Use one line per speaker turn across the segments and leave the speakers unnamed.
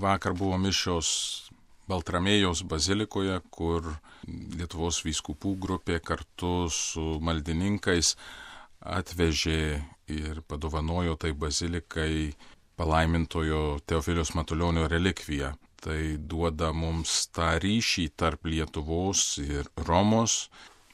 Vakar buvo mišios Baltramėjaus bazilikoje, kur Lietuvos vyskupų grupė kartu su maldininkais atvežė ir padovanojo tai bazilikai palaimintojo Teofiliaus Matulionio relikviją. Tai duoda mums tą ryšį tarp Lietuvos ir Romos.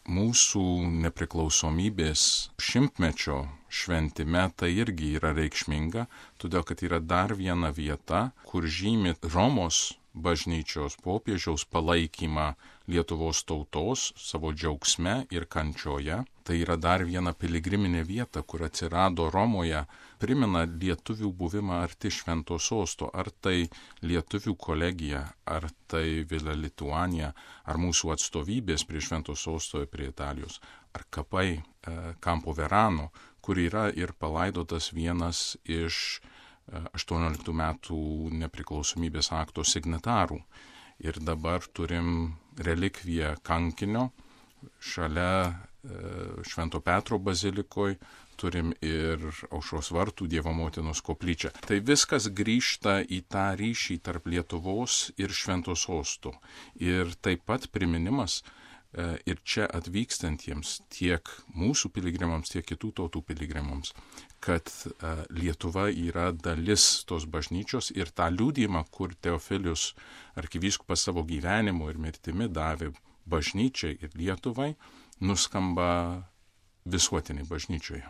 Mūsų nepriklausomybės šimtmečio šventime tai irgi yra reikšminga, todėl kad yra dar viena vieta, kur žymi Romos bažnyčios popiežiaus palaikymą Lietuvos tautos savo džiaugsme ir kančioje. Tai yra dar viena piligriminė vieta, kur atsirado Romoje, primena lietuvių buvimą arti Švento sosto, ar tai lietuvių kolegija, ar tai Villa Lituania, ar mūsų atstovybės prie Švento sosto ir prie Italijos, ar kapai Campo Verano, kur yra ir palaidotas vienas iš 18 metų nepriklausomybės akto signatarų. Ir dabar turim relikviją kankinio šalia Švento Petro bazilikoje, turim ir Aušros vartų Dievo motinos koplyčią. Tai viskas grįžta į tą ryšį tarp Lietuvos ir Švento sosto. Ir taip pat priminimas ir čia atvykstantiems tiek mūsų piligrimams, tiek kitų tautų piligrimams, kad Lietuva yra dalis tos bažnyčios ir tą liudijimą, kur Teofilius arkivyskupas savo gyvenimu ir mirtimi davė bažnyčiai ir Lietuvai, nuskamba visuotiniai bažnyčioje.